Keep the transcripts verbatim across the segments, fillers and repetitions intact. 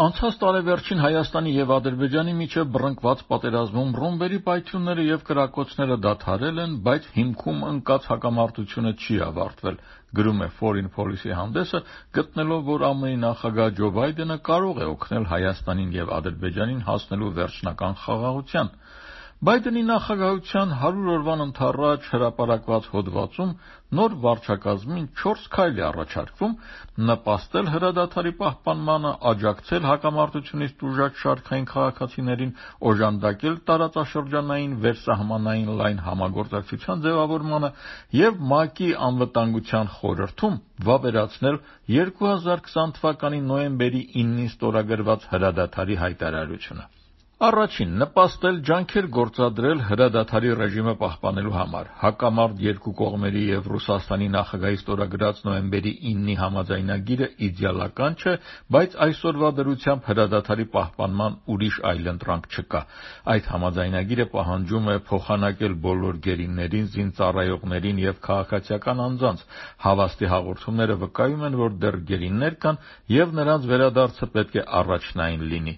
Անցած տարեվերջին Հայաստանի եւ Ադրբեջանի միջև բռնկված պատերազմում ռումբերի պայթյունները եւ կրակոցները դադարել են, բայց հիմքում ընկած հակամարտությունը չի ավարտվել, գրում է Foreign Policy հանդեսը, գտնելով, որ ԱՄՆ-ի նախագահ Ջո Բայդենը կարող է օգնել Հայաստանին եւ Ադրբեջանին հասնելու վերջնական խաղաղության։ Բայդենի նախագահության հարյուր օրվան ընթառաջ հրապարակված հոդվածում նոր վարչակազմին չորս քայլ է առաջարկվում՝ նպաստել հրադադարի պահպանմանը, աջակցել հակամարտությունից տուժած շարքային քաղաքացիներին, օժանդակել տարածաշրջանային վերսահմանային լայն համագործակցության ձևավորմանը եւ ՄԱԿ-ի անվտանգության խորհրդում վավերացնել երկու հազար քսան թվականի նոյեմբերի իննին ստորագրված հրադադարի հայտարարությունը։ Առաջին՝ նպաստել ջանքեր գործադրել հրադադարի ռեժիմը պահպանելու համար։ Հակամարտ երկու կողմերի եւ Ռուսաստանի նախագահի ստորագրած նոյեմբերի իննի համաձայնագիրը իդեալական չէ, բայց այսօրվա դրությամբ հրադադարի պահպանման ուրիշ այլընտրանք չկա։ Այդ համաձայնագիրը պահանջում է փոխանակել բոլոր գերիներին, զինծառայողներին եւ քաղաքացիական անձանց։ Հավաստի հաղորդումները վկայում են, որ դեռ գերիներ կան եւ նրանց վերադարձը պետք է առաջնային լինի։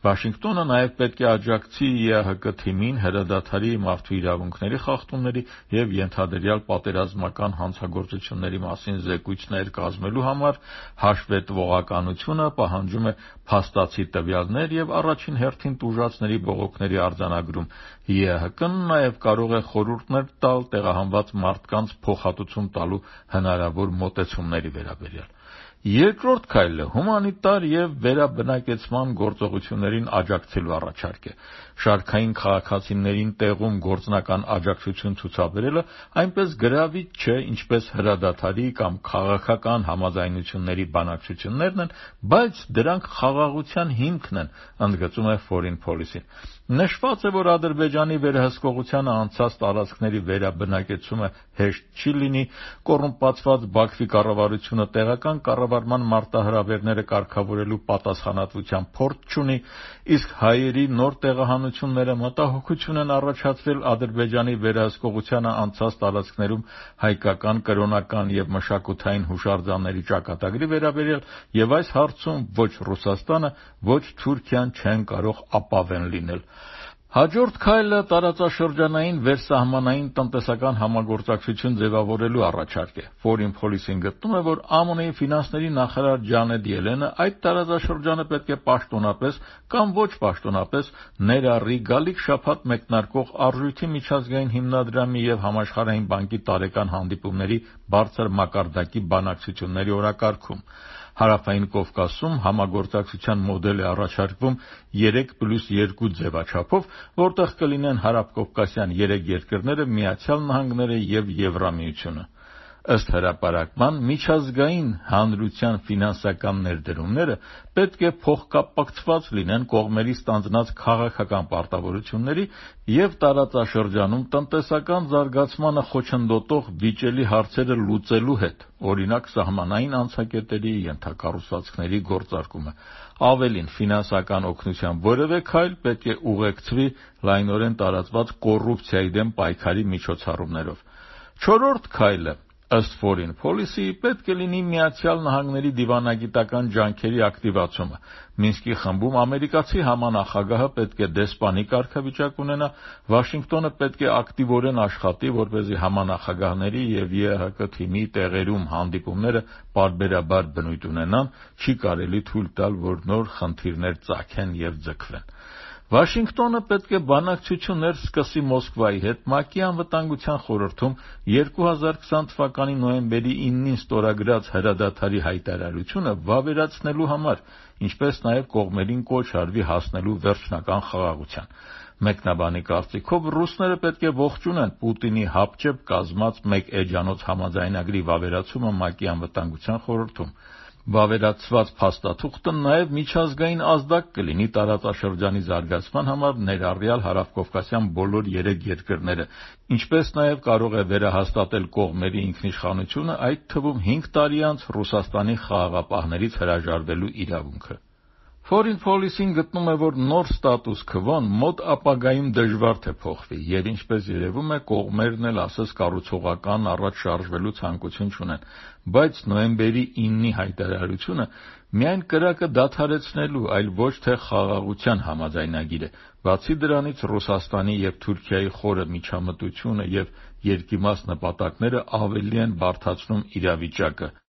Վաշինգտոնը նաև պետք է աջակցի ԵԱՀԿ թիմին հրադադարի, մարդու իրավունքների խախտումների եւ ենթադրյալ պատերազմական հանցագործությունների մասին զեկույցներ կազմելու համար, հաշվետվողականությունը պահանջում է փաստացի տվյալներ եւ առաջին հերթին տուժածների բողոքների արձանագրում։ ԵԱՀԿ-ն նաև կարող է խորհուրդներ տալ տեղահանված մարդկանց փոխհատուցում տալու հնարավոր մոտեցումների վերաբերյալ։ Երկրորդ քայլը հումանիտար եւ վերաբնակեցման գործողություններին աջակցելու առաջարկ է։ Շարքային քաղաքացիներին տեղում գործնական աջակցություն ցուցաբերելը այնպես գրավիչ չէ, ինչպես հրադադարի կամ քաղաքական համաձայնությունների բանակցություններն են, բայց դրանք խաղաղության հիմքն են, ընդգծում է Foreign Policy-ն։ Նշված է, որ Ադրբեջանի վերահսկողությանը անցած տարածքների վերաբնակեցումը հեշտ չի լինի, կոռումպացված Բաքվի կառավարությունը տեղական կառավարման մարտահրավերները կարգավորելու պատասխանատվության փորձ չունի, իսկ հայերի նոր տեղահանությունները մտահոգություն են առաջացրել Ադրբեջանի վերահսկողությանը անցած տարածքներում հայկական, կրոնական եւ մշակութային հուշարձանների ճակատագրի վերաբերյալ, եւ այս հարցում ոչ Ռուսաստանը, ոչ Թուրքիան չեն կարող ապավեն լինել։ Հաջորդ քայլը տարածաշրջանային վերսահմանային տնտեսական համագործակցություն ձևավորելու առաջարկ է։ Foreign Policy-ն գտնում է, որ ԱՄՆ-ի ֆինանսների նախարար Ջանետ Ելենը այդ տարածաշրջանը պետք է պաշտոնապես կամ ոչ պաշտոնապես ներառի գալիք շաբաթ մեկնարկող Արժույթի միջազգային հիմնադրամի եւ Համաշխարհային բանկի տարեկան հանդիպումների բարձր մակարդակի բանակցությունների օրակարգում։ Հարավային Կովկասում համագործակցության մոդել է առաջարկվում երեք պլյուս երկու ձևաչափով, որտեղ կլինեն հարավկովկասյան երեք երկրները, Միացյալ Նահանգները եւ Եվրամիությունը։ Ըստ հրապարակման, միջազգային հանրության ֆինանսական ներդրումները պետք է փոխկապակցված լինեն կողմերի ստանձնած քաղաքական պարտավորությունների եւ տարածաշրջանում տնտեսական զարգացմանը խոչընդոտող վիճելի հարցերը լուծելու հետ, օրինակ սահմանային անցակետերի, ենթակառուցվածքների գործարկումը։ Ավելին, ֆինանսական օգնության որևէ քայլ պետք է ուղեկցվի լայնորեն տարածված կոռուպցիայի դեմ պայքարի միջոցառումներով։ Չորրորդ քայլը, ըստ Foreign Policy-ի, պետք է լինի Միացյալ Նահանգների դիվանագիտական ջանքերի ակտիվացումը։ Մինսկի խմբում ամերիկացի համանախագահը պետք է դեսպանի կարգավիճակ ունենա, Վաշինգտոնը պետք է ակտիվորեն աշխատի, որպեսզի համանախագահների եւ ԵԱՀԿ թիմի տեղերում հանդիպումները պարբերաբար բնույթ ունենան, չի կարելի թույլ տալ, որ նոր խնդիրներ ծագեն եւ ձգվեն։ Վաշինգտոնը պետք է բանակցություններ սկսի Մոսկվայի հետ ՄԱԿ-ի անվտանգության խորհրդում երկու հազար քսան թվականի նոյեմբերի իննին ստորագրած հրադադարի հայտարարությունը վավերացնելու համար, ինչպես նաև կողմերին կոչ արվի հասնելու վերջնական խաղաղության։ Մեկնաբանի կարծիքով ռուսները պետք է ողջունեն Պուտինի հապճեպ կազմած մեկ էջանոց համաձայնագրի վավերացումը ՄԱԿ-ի անվտանգության խորհրդում։ Վավերացված փաստաթուղթը նաև միջազգային ազդակ կլինի տարածաշրջանի զարգացման համար, ներառյալ հարավկովկասյան բոլոր երեք երկրները, ինչպես նաև կարող է վերահաստատել կողմերի ինքնիշխանությունը, այդ թվում հինգ տարի անց Ռուսաստանի խաղաղապահներից հրաժարվելու իրավունքը։ Foreign Policy-ն գտնում է, որ նոր ստատուս քվոն մոտ ապագայում դժվար թե փոխվի, եւ ինչպես երևում է, կողմերն էլ ասես կառուցողական առաջ շարժվելու ցանկություն չունեն, բայց նոյեմբերի ինը հայտարարությունը միայն կրակը դադարեցնելու, այլ ոչ թե խաղաղության համաձայնագիր է։ Բացի դրանից, Ռուսաստանի եւ Թուրքիայի խորը միջամտությունը եւ երկիմաց նպատակները ավելի են բարդացնում իրավիճակը։